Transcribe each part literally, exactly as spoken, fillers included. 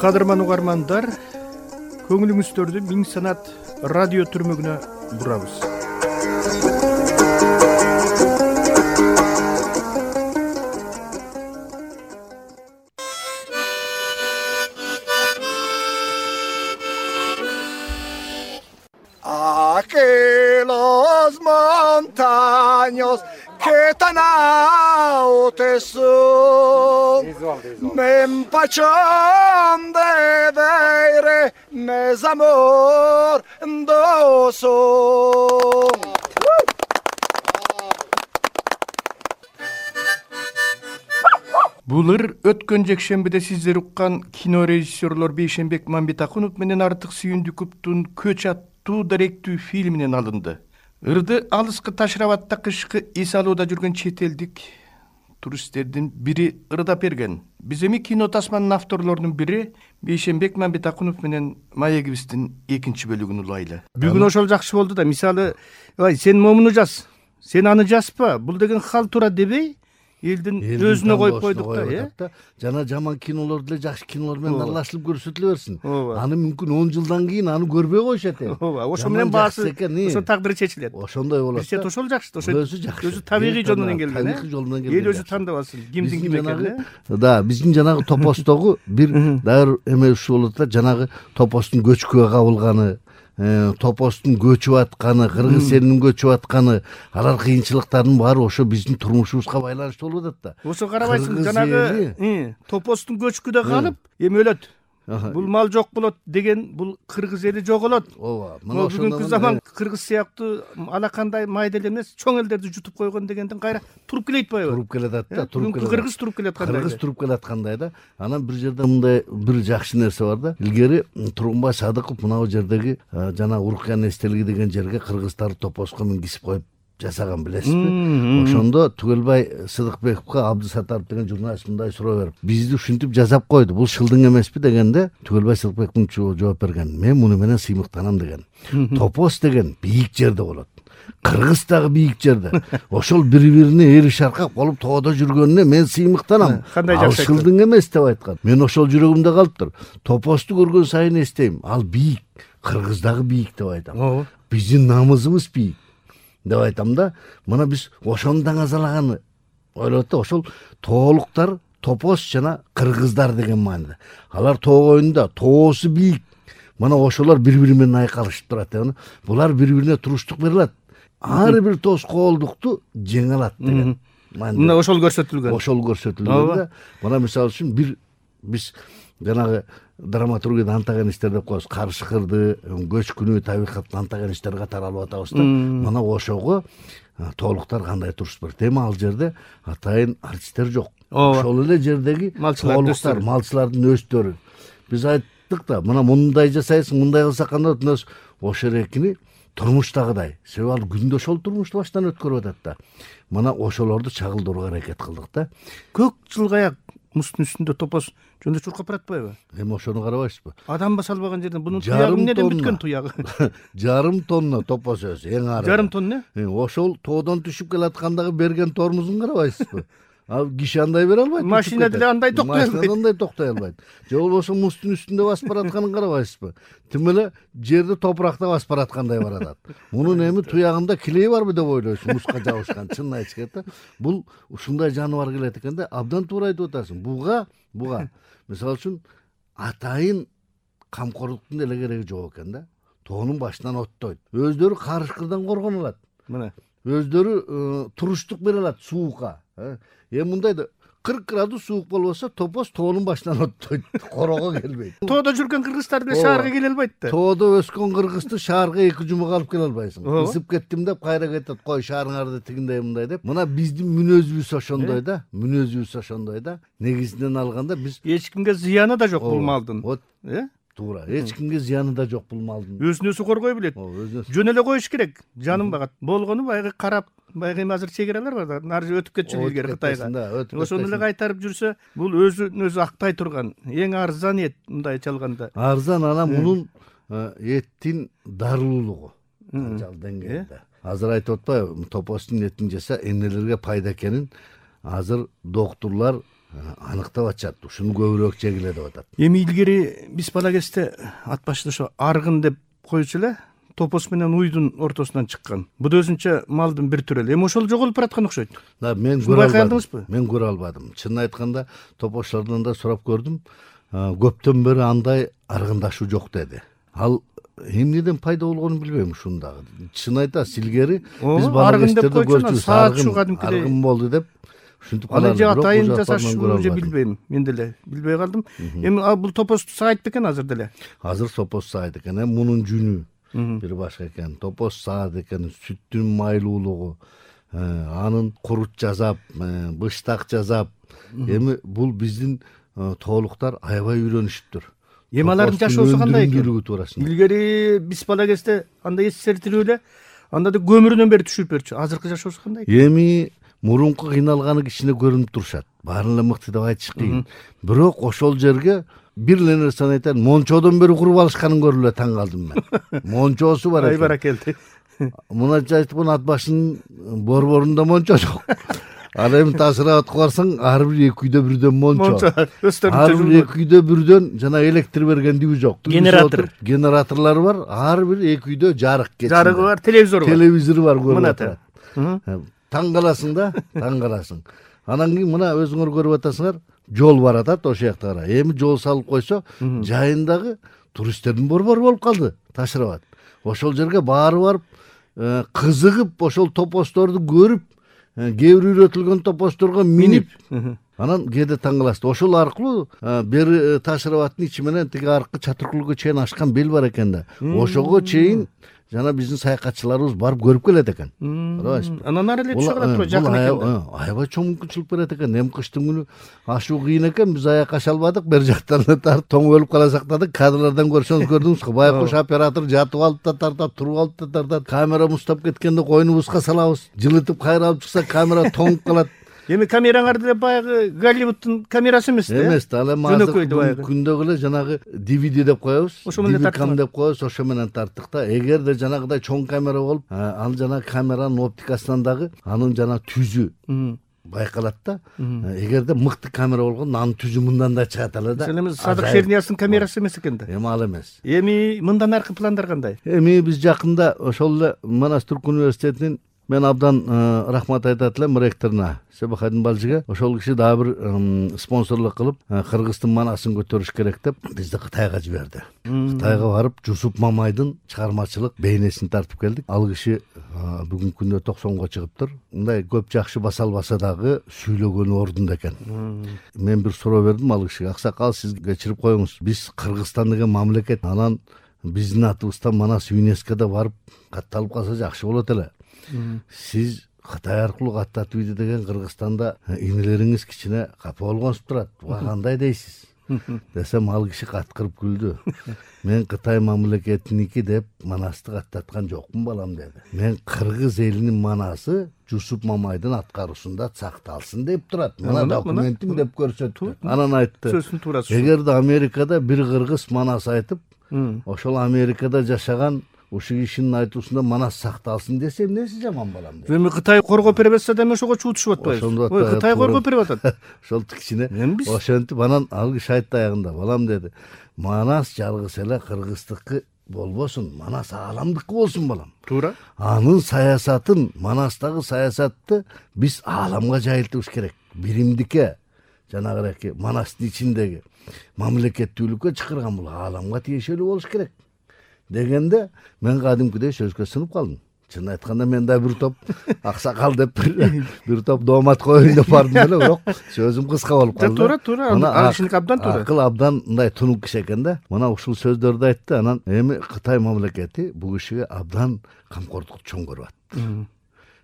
Кадырман угармандар, көңүлүңүздөрдү Миң Санат радио түрмөгүнө бурабыз. Aquelos montaños que tan altos son, me empachón de ver mes amor doso. Булыр өткөн жекшембиде сиздер уккан кино режиссерлор Бейшенбек Мамбетакунов менен Артык Сүйүндүковдун Көч аттуу даректүү фильминен алынды. Ырды алыскы Ташрабатта кышкы эс алууда жүргөн чет элдик туристтердин бири ырдап берген. Биз эми кино тасманын авторлорунун бири Бейшенбек Мамбетакунов менен маегибиздин экинчи бөлүгүн улайлы. Бүгүн ошол жакшы болду да. Мисалы, ай сен момуну жаз, сен аны жазпа. Бул деген хал тура дебей, элдин өзүнө коюп койдук да, э? Жана жаман кинолор деле жакшы кинолор менен аралашылып көрсөтүлө берсин. Аны мүмкүн он жылдан кийин аны көрбөй коюшат э. Ооба, ошо менен баасы, ошо тагдыры чечилет. Ошондой болот. Бизче ошол жакшы, ошо өзү табигый жол менен келген, табигый жол менен келген. Эл өзү тандап алсын, кимдин ким экенин. Да, биздин жанагы топостогу бир дайыр эме ушул болот да, жанагы топостун көчкүгө кабылганы, топостун көчүп атканы, кыргыз элинин көчүп атканы, алар кыйынчылыктардын баары ошо биздин турмушубузга байланыштуу болуп атат да. Ошо карабайсың, жанагы топостун көчкүдө калып, эми өлөт. Бул мал жок болот деген, бул кыргыз эли жоголот. Ооба, мына бүгүнкү заман кыргыз сыяктуу алакандай майда эле эмес, чоң элдерди жутуп койгон дегенден кайра туруп келет атпайбы? Туруп келет да, туруп келет. Кыргыз туруп келет кандай? Кыргыз туруп келет кандай да. Анан бир жерде мындай бир жакшы нерсе бар да. Илгери Тургунбай Садыков мына жердеги жана Урукян эстелиги деген жерге кыргыздарды топоско мингизип коюп жасаган, билесизби? Ошондо Түгелбай Сыдыкбековго Абдысатаров деген журналист мындай суроо берип, бизди ушинтип жасап койду, бул шылдың эмеспи дегенде, Түгелбай Сыдыкбековдун жооп берген, мен муну менен сыймыктанам деген. Топос деген бийик жерде болот. Кыргыз дагы бийик жерде. Ошол бири-бирине эри шаркап болуп тоодо жүргөнүнө мен сыймыктанам. Кандай Ал жакшы шылдың эмес деп айткан. Мен ошол жүрөгүмдө калыптыр. Топосту көргөн сайын эстейм, ал бийик, Кыргыз дагы бийик деп айтам. Биздин намысыбыз бийик деп айтам да. Мына биз ошону даңазалаганы ойлоп да, ошол тоолуктар топос жана кыргыздар деген мааниде. Алар тоо коюнда тоосу бийик. Мына ошолор бири-бири менен айкалышып турат. Булар бири-бирине туруштук бере алат. Ар бир тоскоолдукту жеңе алат деген. Мына ошол көрсөтүлгөн. Ошол көрсөтүлгөн да. Мына мисалы үчүн бир биз жанагы драматургияда антагонисттер деп коебуз. Карышкырды, көчкүнү, табигаттын антагонисттери катары алып атабыз да. Мына ошого тоолуктар кандай туруш берет. Эми ал жерде атайын артисттер жок. Ошол эле жердеги тоолуктар, малчылардын өздөрү. Биз айттык да, мына мындай жасайсың, мындай кылсак кандай болот? Ошо эрекини турмуштагыдай. Себеби ал күндө ошол турмушту баштан өткөрүп атат да. Мына ошолорду чагылдырууга аракет кылдык да. Көк жылгаяк муздун үстүндө топос жөндөп чуркап баратпайбы? Эми ошону карабайсызбы? Адам басалбаган жерден бунун туягы эмнеден бүткөн туягы? Жарым тонна топос өзү, эң ары. Жарым тонна? Ошол тоодон түшүп келаткандагы берген тормузун карабайсызбы? Ал киши андай бере албайт. Машина деле андай токтой албайт. Машина андай токтой албайт. Же болбосо муздун үстүндө басып баратканын карабайсызбы? Тим эле жерди топуракта басып бараткандай баратат. Мунун эми туягында килеи барбы деп ойлойсуң, музга жабышкан. Чынын айтыш керек да. Бул ушундай жаныбар келет экен да, абдан туура айтып атасың. Буга, буга мисалы үчүн атайын камкорлуктун деле кереги жок экен да. Тоонун башынан оттойт. Өздөрү карышкырдан коргоно алат. Мына өздөрү туруштук бере алат суукка. Эми мындай да кырк градус суук болбосо топос тоонун башынан оттойт, корого келбейт. Тоодо жүргөн кыргыздар деле шаарга келе албайт да. Тоодо өскөн кыргызды шаарга эки жумага алып келе албайсың. Ысып кеттим деп кайра кетет, кой шаарыңарды тигиндей мындай деп. Мына биздин мүнөзүбүз ошондой да, мүнөзүбүз ошондой да. Негизинен алганда биз эч кимге зыяны да жок бул малдын. Э? Туура, эч кимге зыяны да жок бул малдын. Өзүн өзү коргой билет. Жөн эле коюш керек. Жаным багат. Болгону баягы карап, баягы эми азыр чегералар бар да. Нары өтүп кетчү илгери Кытайга. Ошону эле кайтарып жүрсө, бул өзүн өзү актай турган эң арзан эт мындай чалганда. Арзан анан мунун эттин дарылуулугу канчалык деңгээлде. Азыр айтып атпайбы, топостун этин жаса эмнелерге пайда экенин азыр доктурлар аныктап атышат, ушуну көбүрөөк жегиле деп атат. Эми илгери биз бала кезде ат башында ошо аргын деп коючу эле, топос менен уйдун ортосунан чыккан. Бу да өзүнчө малдын бир түрү эле. Эми ошол жоголуп бараткан окшойт. Да, мен көрө албадым. Мен көрө албадым. Чынын айтканда, топошлордон да сурап көрдүм. Көптөн бери андай аргындашуу жок деди. Ал эмнеден пайда болгонун билбейм ушуну дагы. Чын айтасыз, илгери биз бала кездерде көрчүбүз, аргын болду деп ушинтип калган. Аны же атайын жасашууну же билбейм. Мен деле билбей калдым. Эми бул топосту саайт бекен азыр деле? Азыр топос саайт экен. Эми мунун жүнү бир башка экен. Топос саат экен, сүттүн майлуулугу, анын курут жасап, быштак жасап. Эми бул биздин тоолуктар аябай үйрөнүшүптүр. Эми алардын жашоосу кандай экен? Илгери биз бала кезде анда СССР тирүү эле, анда да көмүрүнөн бери түшүрүп берчү. Азыркы жашоосу кандай экен? Эми мурунку кыйналганы кичине көрүнүп турушат. Баарын эле мыкты деп айтыш кыйын. Бирок ошол жерге бир эле нерсени айтайын, мончодон бери куруп алышканын көрүп эле таң калдым мен. Мончосу бар экен. Ай баракелди. Мунача айтып, ат башынын борборунда мончо жок. Ал эми ташырап барсаң, ар бир эки үйдө бирден мончо. Ар бир эки үйдө бирден жана электр бергендиги жок. Генератор. Генераторлор бар, ар бир эки үйдө жарык кетти. Жарыгы бар, телевизор бар. Телевизор бар, көрүп атат. Таң каласың да, таң каласың. Анан кийин мына өзүңөр көрүп атасыңар, жол бар атат ошол жакта кара. Эми жол салып койсо, жайындагы туристтердин борбору болуп калды, ташырабат. Ошол жерге баары барып, кызыгып, ошол топосторду көрүп, кээ бир үйрөтүлгөн топосторго минип, анан кээде таң каласыз. Ошол аркылуу бери Ташырабаттын ичи менен тиги аркы Чатыркулга чейин ашкан бел бар экен да. Ошого чейин жана биздин саякатчыларыбыз барып көрүп келет экен. Анан ары эле түшө калат, жакын экен. Аябай чоң мүмкүнчүлүк берет экен. Эми кыштын күнү ашуу кыйын экен, биз аяк аша албадык. Бер жактан тартып тоңолуп кала сактадык. Кадрлардан көрсөңүз көрдүңүзбү? Байкуш оператор жатып алып да тартат, туруп алып да тартат. Камера муздап кеткенде койнубузга салабыз. Жылытып кайра алып чыкса, камера тоңуп калат. Эми камераңар деле баягы Голливудтун камерасы эмес да? Эмес да, ал эми азыр күндөгү эле жанагы ди ви ди деп коебуз, ди ви кам деп коебуз, ошо менен тарттык да. Эгерде жанагыдай чоң камера болуп, ал жана камеранын оптикасынан дагы анын жана түзү байкалат да. Эгерде мыкты камера болгондо анын түзү мындан да чыгат эле да. Эми Садык Шернияздын камерасы эмес экен да. Эми ал эмес. Эми мындан аркы пландар кандай? Эми биз жакында ошол эле Манас Түрк университетинин мен абдан рахмат айтат элем ректоруна, Себахадин Балжиге. Ошол киши дагы бир спонсорлук кылып, Кыргыздын манасын көтөрүш керек деп бизди Кытайга жиберди. Кытайга барып, Жусуп Мамайдын чыгармачылык бейнесин тартып келдик. Ал киши бүгүнкү күндө токсонго чыгыптыр. Мындай көп жакшы баса албаса дагы сүйлөгөнү ордунда экен. Мен бир суроо бердим ал кишиге. Аксакал, сиз кечирип коюңуз. Биз Кыргызстан деген мамлекет, анан биздин атыбыздан Манас ЮНЕСКОда барып катталып калса жакшы болот эле. Сиз Кытай аркылуу каттатып ийди деген Кыргызстанда инелериңиз кичине капа болгонсуп турат. Буга кандай дейсиз? Десем, ал киши каткырып күлдү. Мен Кытай мамлекетиники деп Манасты каттаткан жокмун балам деди. Мен кыргыз элинин манасы Жусуп Мамайдын аткаруусунда сакталсын деп турат. Мына документиң деп көрсөттү. Анан айтты, сөзүн туурасы. Эгерде Америкада бир кыргыз манас айтып, ошол Америкада жашаган ушул кишинин айтуусунда Манас сакталсын десе, эмнеси жаман балам дейт. Эми Кытай коргоп бере берсе да эми ошого чуутушуп атпайбыз. Ой, Кытай коргоп берип атат. Ошол кичине ошентип анан ал киши айтты аягында, балам деди, Манас жалгыз эле кыргыздыкы болбосун, Манас ааламдыкы болсун балам. Туура. Анын саясатын, Манастагы саясатты биз ааламга жайылтыбыз керек. Биримдикке, жанагыраки Манастын ичиндеги мамлекеттүүлүккө чакырган бул ааламга тиешелүү болуш керек дегенде, мен кадимкидей сөзгө сынып калдым. Чын айтканда мен да бир топ аксакал деп бир топ доомат коеюн деп бардым эле, бирок сөзүм кыска болуп калды. Туура, туура. Ал кишиники абдан туура. Акыл абдан мындай тунук киши экен да. Мына ушул сөздөрдү айтты. Анан эми Кытай мамлекети бул кишиге абдан камкордук чоң көрүп атты.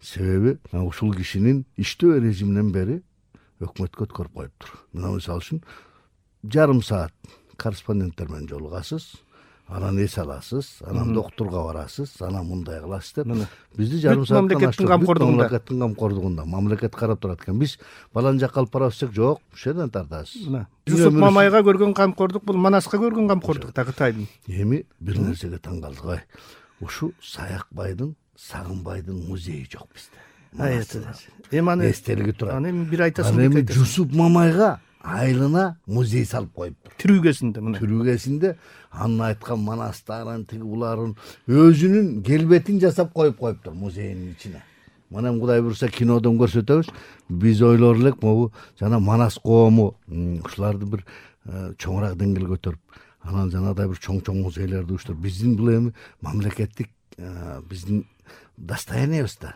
Себеби ушул кишинин иштөө режиминен бери өкмөткө өткөрүп коюптур. Мына мисалы үчүн жарым саат корреспонденттер менен жолугасыз, анан эс аласыз, анан доктурга барасыз, анан мындай кыласыз деп. Бизди жарым сааттан мамлекеттин камкордугунда. Мамлекеттин камкордугунда, мамлекет карап турат экен. Биз балан жакка алып барабыз десек, жок, ушул жерден тартасыз. Жусуп Мамайга көргөн камкордук бул Манаска көргөн камкордук да Кытайдын. Эми бир нерсеге таң калдык. Ой, ушу Саякбайдын, Сагынбайдын музейи жок бизде. эми аны эстелиги турат. аны эми бир айтасың, Ал эки эми айтасың. Жусуп Мамайга айылына музей салып коюптур. Түрүгесинде мына. Түрүгесинде анын айткан манастарын, тиги буларын өзүнүн келбетин жасап коюп коюптур музейдин ичине. Мына Кудай буюрса кинодон көрсөтөбүз. Биз ойлор элек могу жана Манас коому ушуларды бир чоңураак деңгээлге көтөрүп, анан жанагыдай бир чоң-чоң музейлерди уюштуруп, биздин бул эми мамлекеттик биздин достояниебиз да.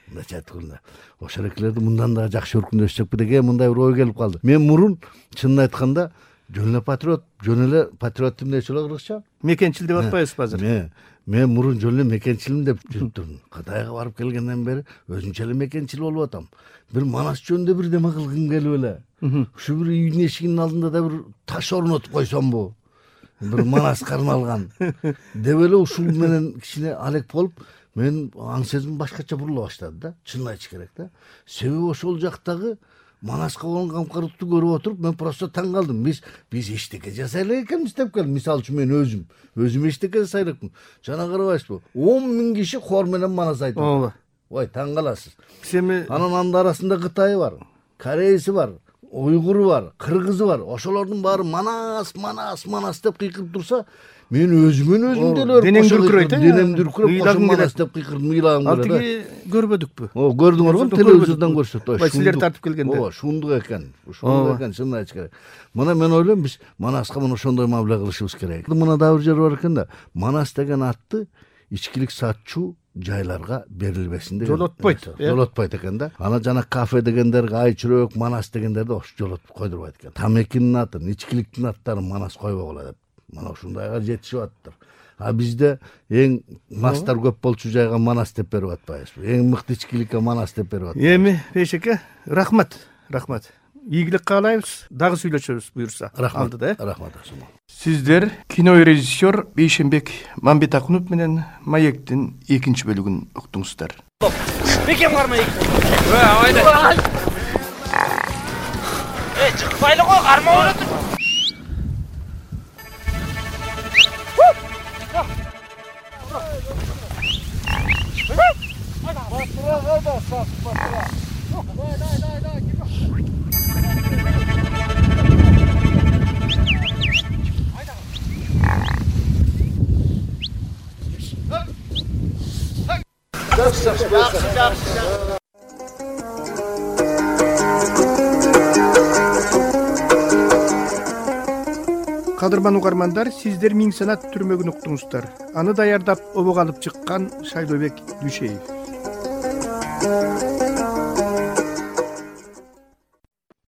Мындайча айтканда, ошол экелерди мындан да жакшы өркүндөшсөкпү деген мындай бир ой келип калды. Мен мурун чынын айтканда жөн эле патриот, жөн эле патриот эмнечи эле кыргызча? Мекенчил деп атпайбызбы азыр? Мен мен мурун жөн эле мекенчилим деп жүрүптүрмүн. Кытайга барып келгенден бери өзүнчө эле мекенчил болуп атам. Бир Манас жөнүндө бир неме кылгым келип эле. Ушу бир үйдүн эшигинин алдында да бир таш орнотуп койсомбу? Бир Манаска арналган деп эле ушул менен кичине алек болуп, мен аң сезим башкача бурула баштады да, чынын айтыш керек да. Себеби ошол жактагы Манаска болгон камкорлукту көрүп отуруп, мен просто таң калдым. Биз биз эчтеке жасай элек экенбиз деп келдим. Мисалы үчүн мен өзүм, өзүм эчтеке жасай элекмин. Жана карабайсызбы? он миң киши хор менен Манас айтып. Ооба. Ой, таң каласыз. Семи Анын анын арасында Кытай бар, Корейси бар, уйгуру бар, кыргызы бар. Ошолордун баары Манас, Манас, Манас деп кыйкырып турса, мен өзүмөн өзүм деле денең дүркүрөйт, э? денем дүркүрөп, Ыйлагым Манас келет. деп кыйкырдым, ыйлагым ал келет. тиги көрбөдүкпү? О, көрдүңөр го, телевизордон көрсөттү. Бай силер тартып келгенде. Ооба, шундук экен. Ушундук экен, чынын айтыш керек. Мына мен ойлойм, биз Манаска мына ошондой мамиле кылышыбыз керек. Мына да бир жер бар экен да, Манас деген атты ичкилик сатчу жайларга берилбесин деген. Жолотпойт, э? Жолотпойт экен да. Ана жана кафе дегендерге айчүрөк, Манас дегендерди ошо жолотуп койдурбайт экен. Тамекинин атын, ичкиликтин аттарын Манас койбогула деп. Мына ушундайга жетишип аттыр. А бизде эң мастар көп болчу жайга Манас деп берип атпайбызбы? Эң мыкты ичкиликке Манас деп берип атпайбызбы? Эми Бейшеке, рахмат, рахмат. Ийгилик каалайбыз, дагы сүйлөшөбүз буюрса. Рахмат, алдыда, э? рахмат Асумал. Сиздер кинорежиссер Бейшенбек Мамбетакунов менен Маектин экинчи бөлүгүн уктуңуздар. Бекем кармай. Ой, айда. Э, чыкпайлы го, карма болот. Кадырман угармандар, сиздер Миң санат түрмөгүн уктуңуздар. Аны даярдап обого алып чыккан Шайлообек Дүйшеев.